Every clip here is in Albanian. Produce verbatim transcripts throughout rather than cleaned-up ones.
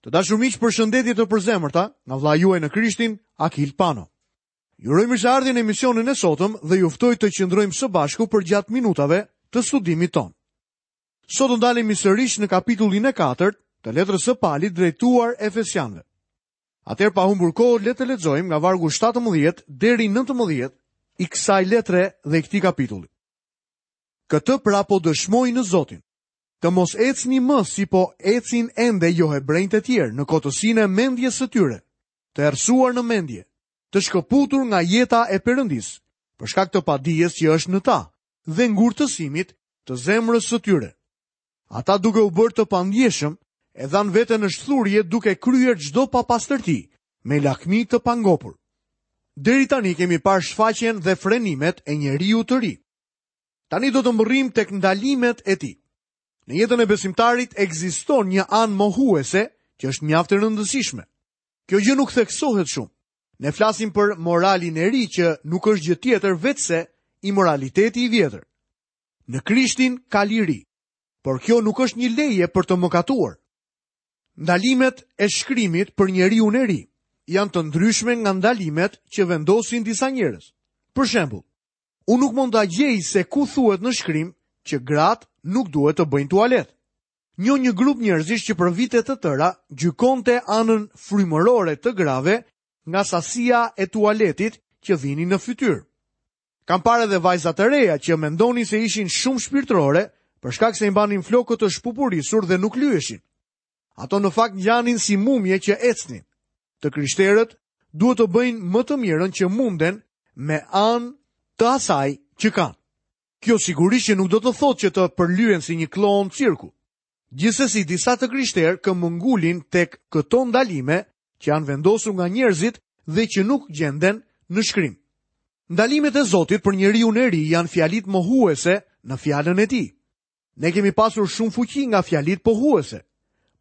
Të dashur miq, përshëndetje të përzemërta nga vëllai juaj në Krishtin, Akil Pano. Ju uroj mirëseardhjen në emisionin e sotëm dhe ju ftoj të qëndrojmë së bashku përgjatë minutave të studimit tonë. Sot do ndalemi sërish në kapitullin e katërt të letrës së Palit drejtuar Efesianëve. Atëherë pa humbur kohë, le të lexojmë nga vargu shtatëmbëdhjetë deri nëntëmbëdhjetë i kësaj letre dhe i këtij kapitulli. Këtë pra po dëshmoj në Zotin, të mos ecni më si po ecin ende johebrenjtë e tjerë në kotësinë e mendjes së tyre, të errësuar në mendje, të shkëputur nga jeta e Perëndisë, për shkak të padijes që është në ta dhe ngurtësimit të zemrës së tyre. Ata duke u bërë të pandjeshëm, e dhanë veten në shthurje duke kryer çdo papastërti me lakmi të pangopur. Deri tani kemi parë shfaqjen dhe frenimet e njeriu të ri. Tani do të mbërrijmë tek ndalimet e tij. Në jetën e besimtarit ekziston një anë mohuese që është mjaft e rëndësishme. Kjo gjë nuk theksohet shumë. Ne flasim për moralin e ri që nuk është gjë tjetër veçse imoraliteti i vjetër. Në Krishtin ka liri, por kjo nuk është një leje për të mëkatuar. Ndalimet e shkrimit për njeriun e ri janë të ndryshme nga ndalimet që vendosin disa njerëz. Për shembull, unë nuk mund ta gjej se ku thuhet në shkrim që gratë nuk duhet të bëjnë tualet. Njoh një grup njerëzish që për vite të tëra gjykonte anën frymërore të grave nga sasia e tualetit që vinin në fytyrë. Kam parë edhe vajza të reja që mendonin se ishin shumë shpirtërore për shkak se i mbanin flokët të shpupurisur dhe nuk lyheshin. Ato në fakt ngjanin si mumje që ecnin. Të krishterët duhet të bëjnë më të mirën që munden me anë të asaj që kanë. Kjo sigurisht që nuk do të thotë që të përlyen si një klon cirku. Gjithsesi disa të krishterë këmbëngulin tek këto ndalime që janë vendosur nga njerëzit dhe që nuk gjenden në shkrim. Ndalimet e Zotit për njeriun e ri janë fjalit mohuese në fjalën e tij. Ne kemi pasur shumë fuqi nga fjalit pohuese,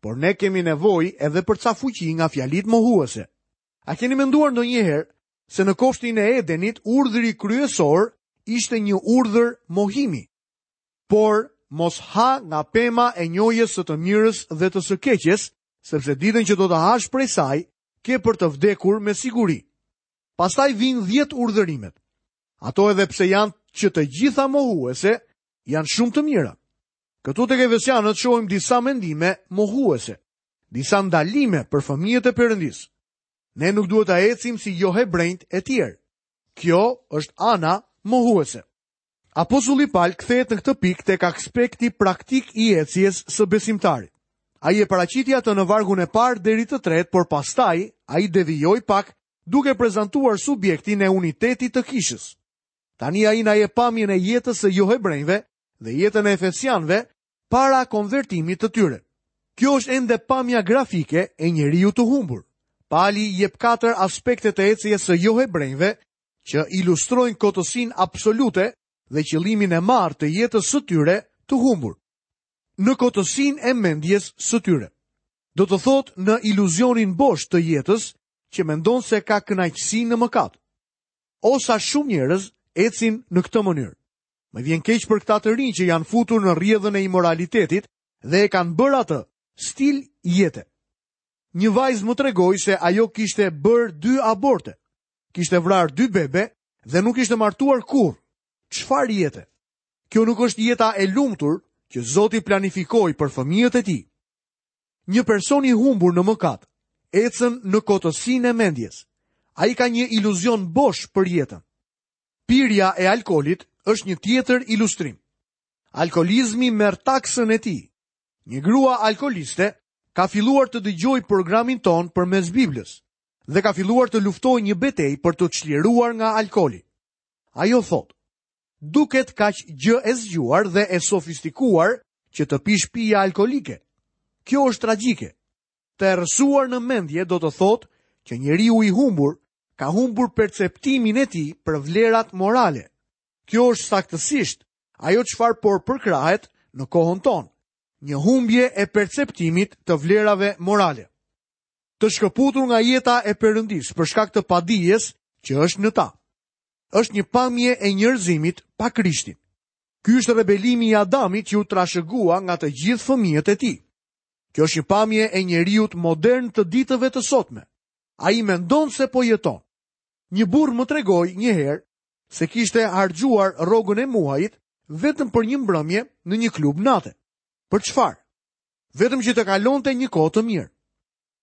por ne kemi nevojë edhe për ca fuqi nga fjalit mohuese. A keni menduar ndonjëherë se në kopshtin e Edenit urdhri kryesor ishte një urdhër mohimi? Por mos ha nga pema e njohjes së të mirës dhe të së keqes, sepse ditën që do të hash prej saj, ke për të vdekur me siguri. Pastaj vijnë dhjetë urdhërimet. Ato edhe pse janë që të gjitha mohuese, janë shumë të mira. Këtu tek Efesianët shohim disa mendime mohuese, disa ndalime për fëmijët e Perëndisë. Ne nuk duhet ta ecim si johebrenjt e tjerë. Kjo është ana mohuese. Apostulli Paul kthehet në këtë pikë tek aspekti praktik i ecjes së besimtarit. Ai e paraqiti atë në vargun e parë deri të tretë, por pastaj ai devijoi pak duke prezantuar subjektin e unitetit të kishës. Tani ai na jep pamjen e jetës së johebrenjve dhe jetën e efesianëve para konvertimit të tyre. Kjo është ende pamja grafike e njeriu të humbur. Pali jep katër aspekte të ecjes së johebrenjve që ilustrojnë kotësinë absolute dhe qëllimin e marrë të jetës së tyre të humbur. Në kotësinë e mendjes së tyre. Do të thotë në iluzionin bosh të jetës që mendon se ka kënaqësi në mëkat. Osa shumë njerëz ecin në këtë mënyrë. Më vjen keq për këta të rinj që janë futur në rrjedhën e imoralitetit dhe e kanë bërë atë stil jete. Një vajzë më tregoi se ajo kishte bërë dy aborte, kishte vrarë dy bebe dhe nuk ishte martuar kurrë. Çfarë jete? Kjo nuk është jeta e lumtur që Zoti planifikoi për fëmijët e tij. Një person i humbur në mëkat ecën në kotësinë e mendjes. Ai ka një iluzion bosh për jetën. Pirja e alkoolit është një tjetër ilustrim. Alkoolizmi merr taksën e tij. Një grua alkooliste ka filluar të dëgjojë programin ton përmes Biblës dhe ka filluar të luftojë një betejë për të çliruar nga alkooli. Ajo thotë: duket kaq gjë e zgjuar dhe e sofistikuar që të pish pije alkoolike. Kjo është tragjike. Të errësuar në mendje do të thotë që njeriu i humbur ka humbur perceptimin e tij për vlerat morale. Kjo është saktësisht ajo çfarë por përkrahet në kohën tonë, një humbje e perceptimit të vlerave morale. Të shkëputur nga jeta e Perëndisë për shkak të padijes që është në ta. Është një pamje e njerëzimit pa Krishtin. Ky është rebelimi i Adamit që u trashëgua nga të gjithë fëmijët e tij. Kjo është një pamje e njeriut modern të ditëve të sotme. Ai mendon se po jeton. Një burrë më tregoi një herë se kishte harxhuar rrogën e muajit vetëm për një mbrëmje në një klub nate. Për çfarë? Vetëm që të kalonte një kohë të mirë.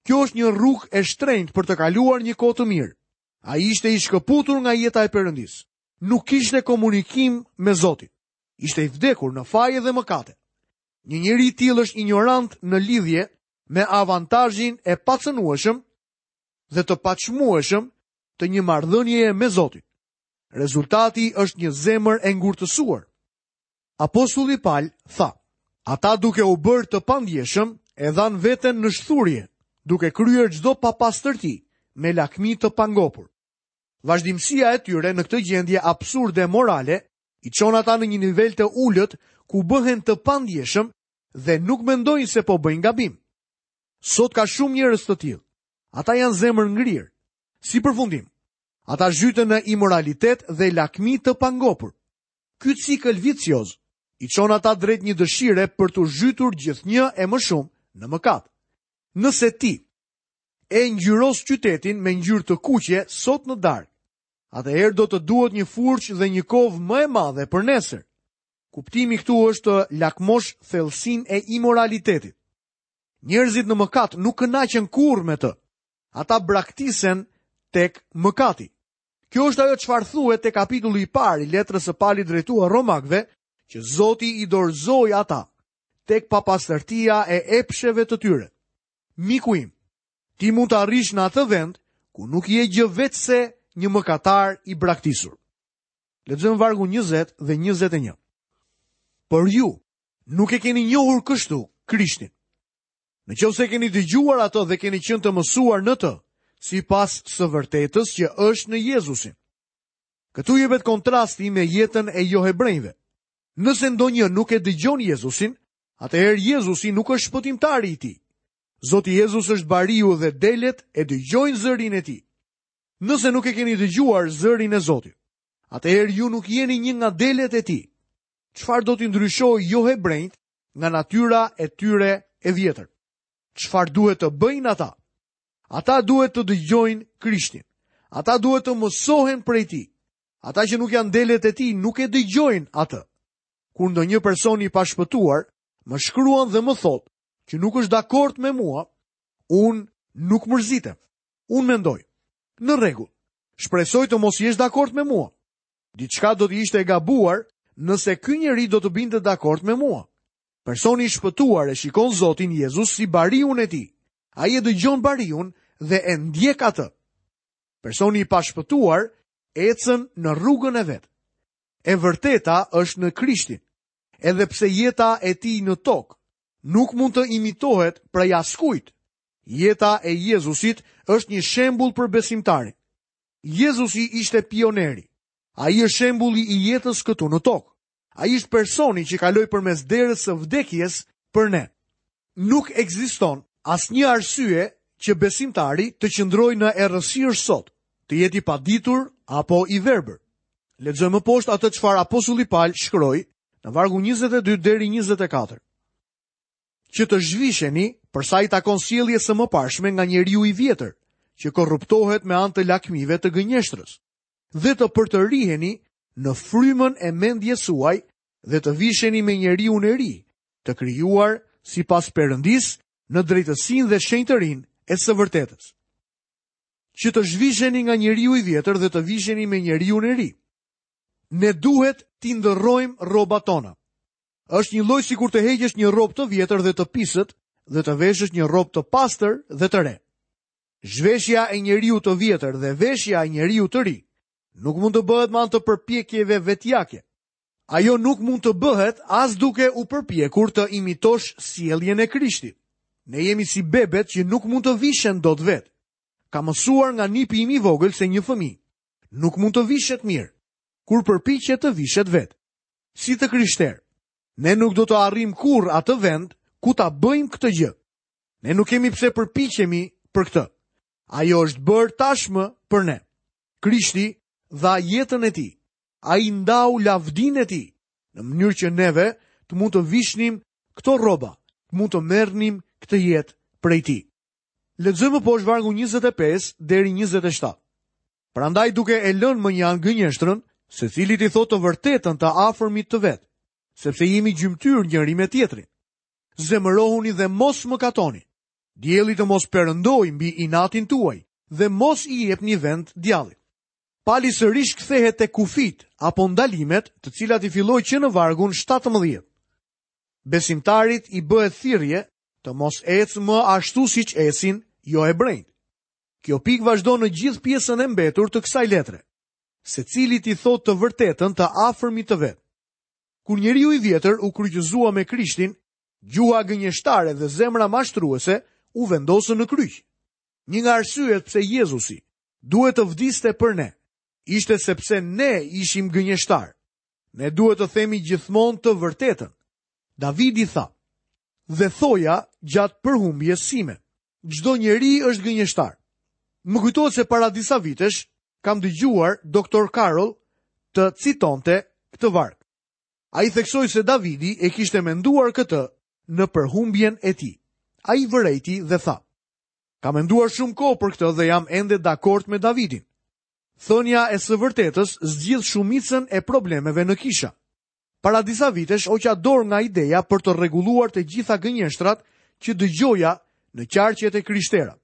Kjo është një rrugë e shtrenjtë për të kaluar një kohë të mirë. Ai ishte i shkëputur nga jeta e Perëndisë. Nuk kishte komunikim me Zotin. Ishte i vdekur në faje dhe mëkate. Një njeri i tillë është ignorant në lidhje me avantazhin e pacënueshëm dhe të paçmueshëm të një marrëdhënieje me Zotin. Rezultati është një zemër e ngurtësuar. Apostulli Pal tha: Ata duke u bërë të pandjeshëm e dhanë veten në shthurje, duke kryer çdo papastërti me lakmi të pangopur. Vazhdimësia e tyre në këtë gjendje absurde morale i çon ata në një nivel të ulët ku bëhen të pandjeshëm dhe nuk mendojnë se po bëjnë gabim. Sot ka shumë njerëz të tillë. Ata janë zemër ngrirë. Si përfundim, ata zhyten në imoralitet dhe lakmi të pangopur. Ky cikël vicioz i çon ata drejt një dëshire për t'u zhytur gjithnjë e më shumë në mëkat. Nëse ti e ngjyros qytetin me ngjyrë të kuqe sot në darkë, atëherë do të duhet një furçë dhe një kovë më e madhe për nesër. Kuptimi këtu është të lakmosh thellësinë e imoralitetit. Njerëzit në mëkat nuk kënaqen kurrë me të. Ata braktisen tek mëkati. Kjo është ajo çfarë thuhet te kapitulli i parë i letrës së Palit drejtuar Romakëve, që Zoti i dorëzoi ata tek papastërtia e epsheve të tyre. Miku im, ti mund të arrish në atë vend ku nuk je gjë veçse një mëkatar i braktisur. Lexojmë vargun njëzet dhe njëzet e një. Por ju nuk e keni njohur kështu Krishtin. Në qoftë se keni dëgjuar atë dhe keni qenë të mësuar në të, sipas së vërtetës që është në Jezusin. Këtu jepet kontrasti me jetën e johebrejve. Nëse ndonjë nuk e dëgjon Jezusin, atëherë Jezusi nuk është shpëtimtari i tij. Zoti Jezus është bariu dhe delet e dëgjojnë zërin e tij. Nëse nuk e keni dëgjuar zërin e Zotit, atëherë ju nuk jeni një nga delet e tij. Çfarë do t'i ndryshojë johebrejt nga natyra e tyre e vjetër? Çfarë duhet të bëjnë ata? Ata duhet të dëgjojnë Krishtin. Ata duhet të mësohen prej tij. Ata që nuk janë delet e tij nuk e dëgjojnë atë. Kur ndonjë person i pashpëtuar më shkruan dhe më thotë që nuk është dakord me mua, unë nuk mërzitem. Unë mendoj, në rregull, shpresoj të mos jesh dakord me mua. Diçka do të ishte e gabuar nëse ky njeri do të binte dakord me mua. Personi i shpëtuar e shikon Zotin Jezus si bariun e tij. Ai e dëgjon bariun dhe e ndjek atë. Personi i pashpëtuar ecën në rrugën e vet. E vërteta është në Krishtin. Edhe pse jeta e tij në tokë nuk mund të imitohet prej askujt, jeta e Jezusit është një shembull për besimtarin. Jezusi ishte pioneri. Ai është shembulli i jetës këtu në tokë. Ai është personi që kaloi përmes derës së vdekjes për ne. Nuk ekziston asnjë arsye që besimtari të qëndrojë në errësirë sot, të jetë i paditur apo i verbër. Lexojmë më poshtë atë çfarë apostulli Paul shkroi në vargun njëzet e dy deri njëzet e katër. Që të zhvisheni për sa i takon sjelljes së mëparshme nga njeriu i vjetër, që korruptohet me anë të lakmive të gënjeshtrës, dhe të përtëriheni në frymën e mendjes suaj dhe të visheni me njeriun e ri, të krijuar sipas Perëndisë në drejtësinë dhe shenjtërinë e së vërtetës. Që të zhvisheni nga njeriu i vjetër dhe të visheni me njeriun e ri. Ne duhet t'i ndërrojmë rrobat tona. Është një lloj sikur të heqësh një rrobë të vjetër dhe të pisët dhe të veshësh një rrobë të pastër dhe të re. Zhveshja e njeriu të vjetër dhe veshja e njeriu të ri nuk mund të bëhet me anë të përpjekjeve vetjake. Ajo nuk mund të bëhet as duke u përpjekur të imitosh sjelljen e Krishtit. Ne jemi si bebet që nuk mund të vishen dot vetë. Kam mësuar nga nipi im i vogël se një fëmijë nuk mund të vishet mirë kur përpiqet të vishet vetë. Si të krishterë, ne nuk do të arrijmë kurrë atë vend ku ta bëjmë këtë gjë. Ne nuk kemi pse përpiqemi për këtë. Ajo është bërë tashmë për ne. Krishti dha jetën e tij. Ai ndau lavdinë e tij, në mënyrë që neve të mund të vishnim këto rroba, të mund të merrnim këtë jetë prej tij. Lexojmë poshtë vargun njëzet e pesë deri njëzet e shtatë. Prandaj duke e lënë më një anë gënjeshtrën, secili t'i thotë të vërtetën të afërmit të vet, sepse jemi gjymtyrë njëri me tjetrin. Zemërohuni dhe mos mëkatoni. Dielli të mos perëndojë mbi inatin tuaj dhe mos i jepni vend djallit. Pali sërish kthehet te kufit apo ndalimet, të cilat i filloi që në vargun shtatëmbëdhjetë. Besimtarit i bëhet thirrje të mos ecë më ashtu siç ecin jo hebrejt. Kjo pikë vazhdon në gjithë pjesën e mbetur të kësaj letre. Secili t'i thotë të vërtetën të afërmit të vet. Kur njeriu i vjetër u kryqëzua me Krishtin, gjuha gënjeshtare dhe zemra mashtruese u vendosën në kryq. Një nga arsyet pse Jezusi duhet të vdiste për ne, ishte sepse ne ishim gënjeshtar. Ne duhet të themi gjithmonë të vërtetën. Davidi tha: "Dhe thoja gjatë përhumbjes sime, çdo njeri është gënjeshtar." Më kujtohet se para disa vitesh kam dëgjuar doktor Carroll të citonte këtë varg. Ai theksoi se Davidi e kishte menduar këtë në përhumbjen e tij. Ai vërejti dhe tha: "Kam menduar shumë kohë për këtë dhe jam ende dakord me Davidin. Thënia e së vërtetës zgjidh shumicën e problemeve në kisha. Para disa vitesh hoqa dorë nga ideja për të rregulluar të gjitha gënjeshtrat që dëgjoja në qarqet e krishtera.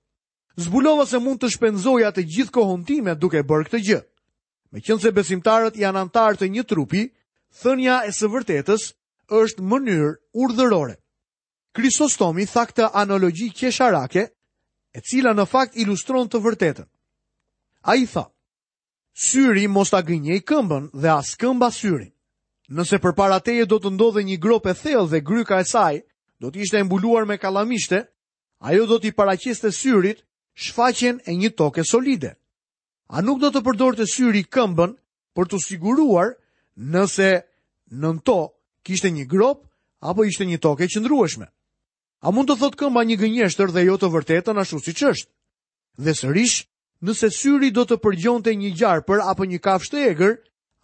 Zbulova se mund të shpenzoja të gjithë kohën time duke bërë këtë gjë. Meqense besimtarët janë antarë të një trupi, thënia e së vërtetës është mënyrë urdhërore. Krisostomi tha këtë analogji qesharake, e cila në fakt ilustron të vërtetën. Ai tha: Syri mos ta gënjej këmbën dhe as këmba syrin. Nëse përpara teje do të ndodhe një gropë e thellë dhe gryka e saj do të ishte e mbuluar me kallamishte, ajo do t'i paraqiste syrit shfaqjen e një toke solide. A nuk do të përdorte syri këmbën për t'u siguruar nëse nën to kishte një gropë apo ishte një tokë e qëndrueshme? A mund të thotë këmba një gënjeshtër dhe jo të vërtetën ashtu siç është? Dhe sërish, nëse syri do të përgjonte një gjarpër apo një kafshë të egër,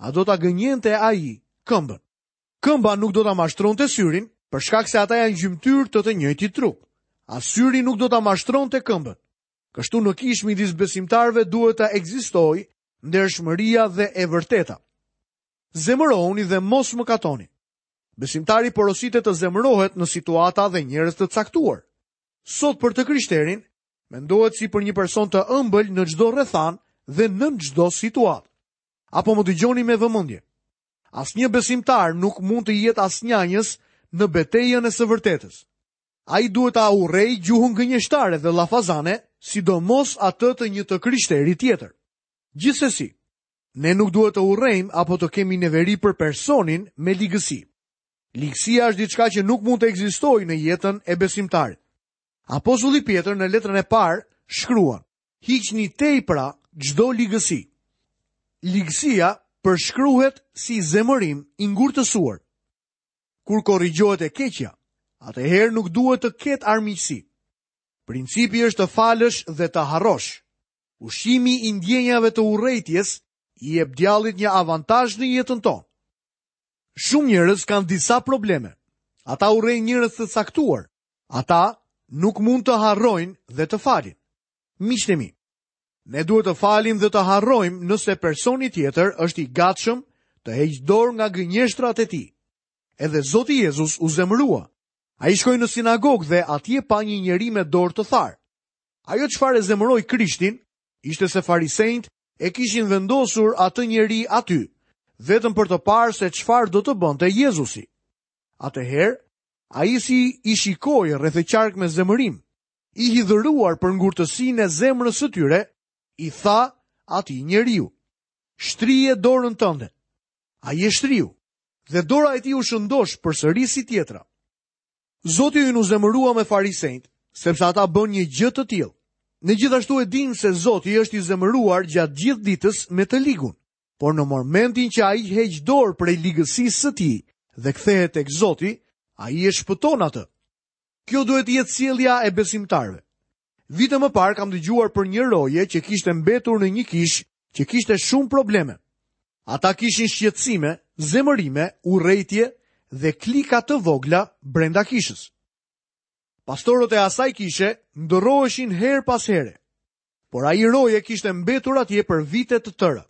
a do ta gënjente ai këmbën? Këmba nuk do ta mashtronte syrin, për shkak se ata janë gjymtyrë të të njëjtit trup. As syri nuk do ta mashtronte këmbën. Kështu në kishë midis besimtarëve duhet të ekzistojë ndershmëria dhe e vërteta. Zemërohuni dhe mos mëkatoni. Besimtari porositet të zemërohet në situata dhe njerëz të caktuar. Sot për të krishterin, mendohet si për një person të ëmbël në çdo rrethan dhe në çdo situatë. Apo më dëgjoni me vëmendje. Asnjë besimtar nuk mund të jetë asnjanjës në betejën e së vërtetës. Ai duhet ta urrejë gjuhën gënjeshtare dhe llafazane, sidomos atë të një të krishteri tjetër. Gjithsesi, ne nuk duhet të urrejmë apo të kemi neveri për personin me ligësi. Ligësia është diçka që nuk mund të ekzistojë në jetën e besimtarit. Apostulli Pjetër në letrën e parë shkruan: Hiqni tej pra çdo ligësi. Ligësia përshkruhet si zemërim i ngurtësuar. Kur korrigjohet e keqja, atëherë nuk duhet të ketë armiqësi. Principi është të falësh dhe të harrosh. Ushqimi i ndjenjave të urrejtjes i jep djallit një avantazh në jetën tonë. Shumë njerëz kanë disa probleme. Ata urrejnë njerëz të caktuar. Ata nuk mund të harrojnë dhe të falin. Miqtë e mi, ne duhet të falim dhe të harrojmë nëse personi tjetër është i gatshëm të heqë dorë nga gënjeshtrat e tij. Edhe Zoti Jezus u zemërua. Ai shkoi në sinagogë dhe atje pa një njeri me dorë të tharë. Ajo çfarë e zemëroi Krishtin ishte se farisejt e kishin vendosur atë njeri aty, vetëm për të parë se çfarë do të bënte Jezusi. Atëherë, ai si i shikoi rreth e qark me zemërim, i hidhëruar për ngurtësinë e zemrës së tyre, i tha atij njeriu: Shtrije dorën tënde. Ai e shtriu, dhe dora e tij u shëndosh përsëri si tjetra. Zoti ynë u zemërua me farisejt, sepse ata bën një gjë të tillë. Ne gjithashtu e dimë se Zoti është i zemëruar gjatë gjithë ditës me të ligun, por në momentin që ai heq dorë prej ligësisë së tij dhe kthehet tek Zoti, ai e shpëton atë. Kjo duhet të jetë sjellja e besimtarëve. Vite më parë kam dëgjuar për një roje që kishte mbetur në një kishë që kishte shumë probleme. Ata kishin shqetësime, zemërime, urrejtje dhe klika të vogla brenda kishës. Pastorët e asaj kishe ndërroheshin herë pas here, por ai roje kishte mbetur atje për vite të tëra.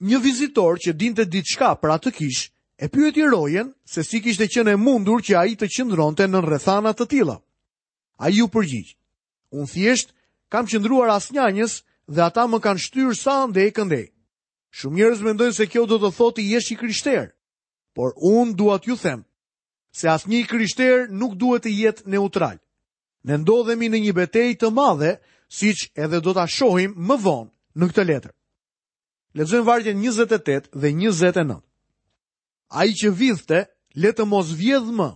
Një vizitor që dinte diçka për atë kishë, e pyeti rojen se si kishte qenë e mundur që ai të qëndronte në rrethana të tilla. Ai u përgjigj: "Unë thjesht kam qëndruar asnjanës dhe ata më kanë shtyrë sa andej këndej. Shumë njerëz mendojnë se kjo do të thotë të jesh i krishterë, por unë dua t'ju them se asnjë i krishterë nuk duhet të jetë neutral. Ne ndodhemi në një betejë të madhe, siç edhe do ta shohim më vonë në këtë letër." Lexojmë vargjet njëzet e tetë dhe njëzet e nëntë. Ai që vidhte, le të mos vjedh më,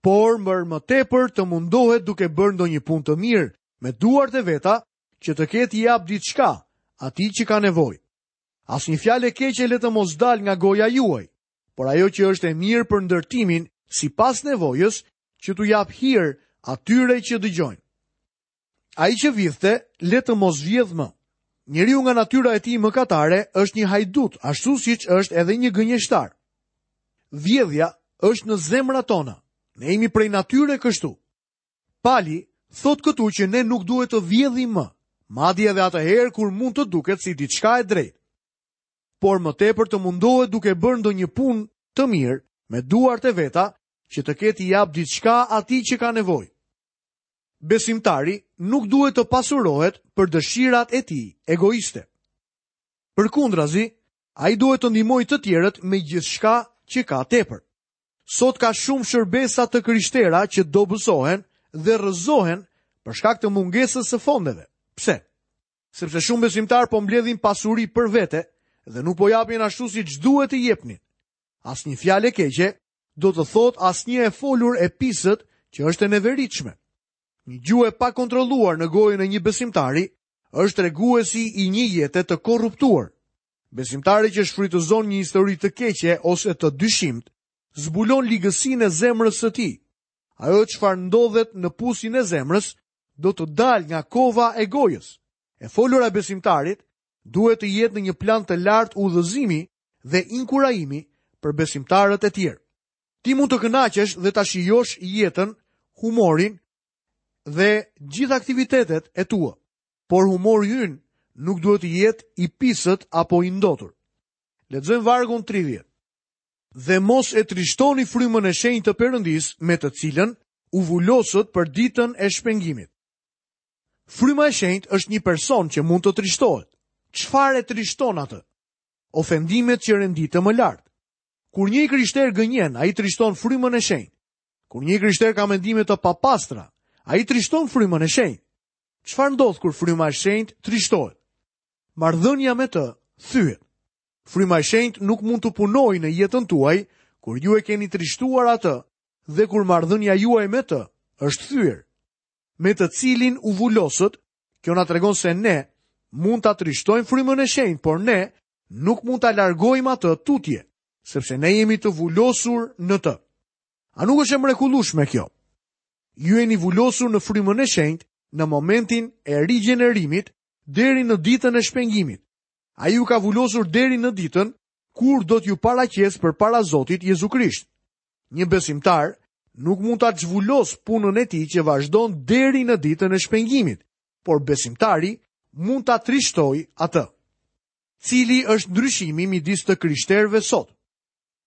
por për më tepër të mundohet duke bërë ndonjë punë të mirë me duart e veta, që të ketë i jap diçka atij që ka nevojë. Asnjë fjalë e keqe le të mos dalë nga goja juaj, por ajo që është e mirë për ndërtimin sipas nevojës, që t'u jap hir atyre që dëgjojnë. Ai që vidhte, le të mos vjedh më. Njeriu nga natyra e tij mëkatare është një hajdut, ashtu siç është edhe një gënjeshtar. Vjedhja është në zemrat tona. Ne jemi prej natyre kështu. Pali thot këtu që ne nuk duhet të vjedhim më, madje edhe atëherë kur mund të duket si diçka e drejtë. Por më tepër të mundohet duke bërë ndonjë punë të mirë me duart e veta, që të ketë i jap diçka atij që ka nevojë. Besimtari nuk duhet të pasurohet për dëshirat e tij egoiste. Përkundrazi, ai duhet të ndihmojë të tjerët me gjithçka që ka tepër. Sot ka shumë shërbesa të krishtera që dobësohen dhe rrëzohen për shkak të mungesës së fondeve. Pse? Sepse shumë besimtar po mbledhin pasuri për vete dhe nuk po japin ashtu siç duhet të jepnin. Asnjë fjalë e keqe do të thotë asnjë e folur e pisët që është e neveritshme. Një gjuhë e pakontrolluar në gojën e një besimtari është treguesi i një jete të korruptuar. Besimtari që shfrytëzon një histori të keqe ose të dyshimtë, zbulon ligësinë e zemrës së tij. Ajo çfarë ndodhet në pusin e zemrës do të dalë nga kova e gojës. E folura e besimtarit duhet të jetë në një plan të lartë udhëzimi dhe inkurajimi për besimtarët e tjerë. Ti mund të kënaqesh dhe ta shijosh jetën, humorin dhe gjithë aktivitetet e tua, por humori ynë nuk duhet të jetë i pisët apo i ndotur. Lexojmë vargun tridhjetë. Dhe mos e trishtoni frymën e shenjtë të Perëndisë me të cilën u vulosët për ditën e shpengimit. Fryma e shenjtë është një person që mund të trishtohet. Çfarë e trishton atë? Ofendimet që renditëm më lart. Kur një i krishter gënjen, ai trishton frymën e shenjtë. Kur një i krishter ka mendime të papastra, ai trishton frymën e shenjtë. Çfarë ndodh kur fryma e shenjtë trishtohet? Marrëdhënia me të thyhet. Fryma e shenjtë nuk mund të punojë në jetën tuaj kur ju e keni trishtuar atë dhe kur marrëdhënia juaj me të është thyer. Me të cilin u vulosët, kjo na tregon se ne mund ta trishtojmë frymën e shenjtë, por ne nuk mund ta largojmë atë tutje, sepse ne jemi të vulosur në të. A nuk është e mrekullueshme kjo? Ju jeni vulosur në frymën e shenjtë në momentin e rigjenerimit deri në ditën e shpengimit. Ai ju ka vulosur deri në ditën kur do t'ju paraqes përpara Zotit Jezu Krisht. Një besimtar nuk mund ta zhvulos punën e tij që vazhdon deri në ditën e shpengimit, por besimtari mund ta trishtojë atë. Cili është ndryshimi midis të krishterëve sot?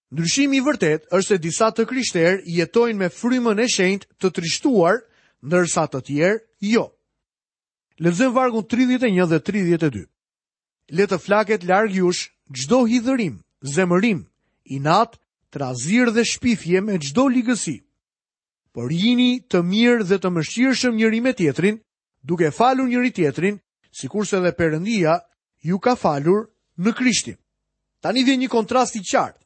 Ndryshimi i vërtet është se disa të krishterë jetojnë me frymën e shenjtë të trishtuar, ndërsa të tjerë jo. Lexojmë vargun tridhjetë e një dhe tridhjetë e dy. Le të flaket larg jush çdo hidhërim, zemërim, inat, trazir dhe shpifje me çdo ligësi. Por jini të mirë dhe të mëshirshëm njëri me tjetrin, duke falur njëri tjetrin, sikurse edhe Perëndia ju ka falur në Krishtin. Tani vjen një kontrast i qartë.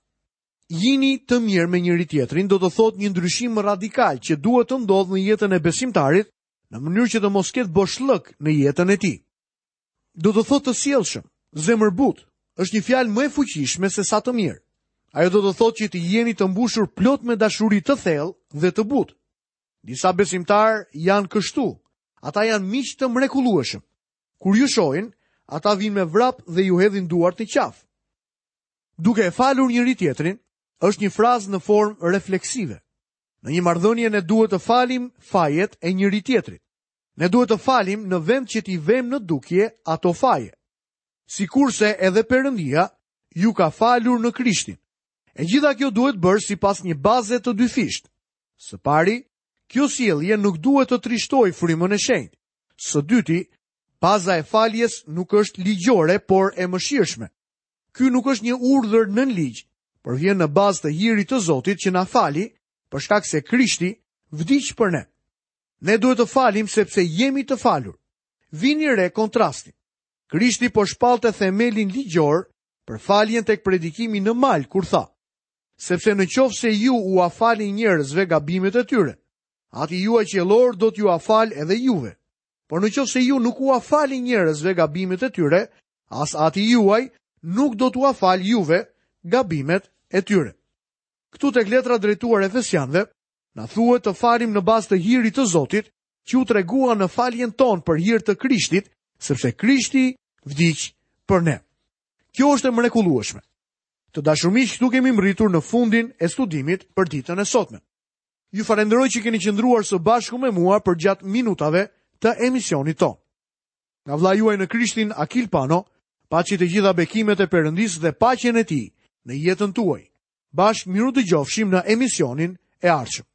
Jini të mirë me njëri tjetrin do të thotë një ndryshim radikal që duhet të ndodhë në jetën e besimtarit, në mënyrë që të mos ketë boshllëk në jetën e tij. Do të thotë të sjellshëm, zemërbut, është një fjalë më e fuqishme se sa të mirë. Ajo do të thotë që të jeni të mbushur plot me dashuri të thellë dhe të butë. Disa besimtar janë kështu. Ata janë miq të mrekullueshëm. Kur ju shohin, ata vinë me vrap dhe ju hedhin duart në qafë. Duke e falur njëri tjetrin, është një frazë në formë refleksive. Në një marrëdhënie ne duhet të falim fajet e njëri tjetrit. Ne duhet të falim në vend që t'i vëmë në dukje ato faje. Sikurse edhe Perëndia ju ka falur në Krishtin. E gjitha kjo duhet bërë sipas një baze të dyfishtë. Së pari, kjo sjellje nuk duhet të trishtojë frymën e shenjtë. Së dyti, baza e faljes nuk është ligjore, por e mëshirshme. Ky nuk është një urdhër nën ligj, por vjen në bazë të hirit të Zotit që na fali, për shkak se Krishti vdiq për ne. Ne duhet të falim sepse jemi të falur. Vini re kontrastin. Krishti po shpallte themelin ligjor për faljen tek predikimi në mal kur tha: Sepse në qoftë se ju ua falni njerëzve gabimet e tyre, Ati juaj qiellor do t'jua falë edhe juve. Por në qoftë se ju nuk ua falni njerëzve gabimet e tyre, as Ati juaj nuk do t'ua falë juve gabimet e tyre. Këtu tek letra drejtuar Efesianëve, na thuhet të falim në bazë të hirit të Zotit, që u tregua në faljen tonë për hir të Krishtit, sepse Krishti vdiq për ne. Kjo është e mrekullueshme. Të dashur miq, këtu kemi mbërritur në fundin e studimit për ditën e sotme. Ju falenderoj që keni qëndruar së bashku me mua përgjatë minutave të emisionit tonë. Nga vëllai juaj në Krishtin, Akil Pano, paçi të gjitha bekimet e Perëndisë dhe paqen e Tij në jetën tuaj. Bashkë miru dëgjofshim në emisionin e ardhshëm.